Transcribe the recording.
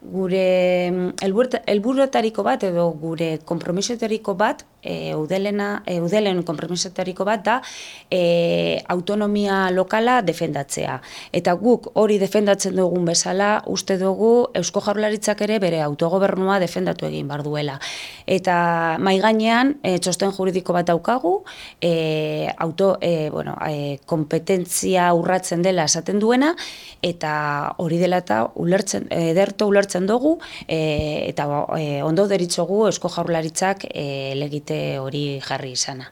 gure helburuetariko bat edo gure konpromisoetariko bat, udelen konpromisoetariko bat da autonomia lokala defendatzea. Eta guk hori defendatzen dugun bezala, uste dugu Eusko Jaurlaritzak ere bere autogobernua defendatu egin behar duela. Eta mahai gainean txosten juridiko bat daukagu, kompetentzia urratzen dela esaten duena, eta hori dela eta ederto ulertzen dugu, eta ondo deritzogu Eusko Jaurlaritzak legite hori jarri izana.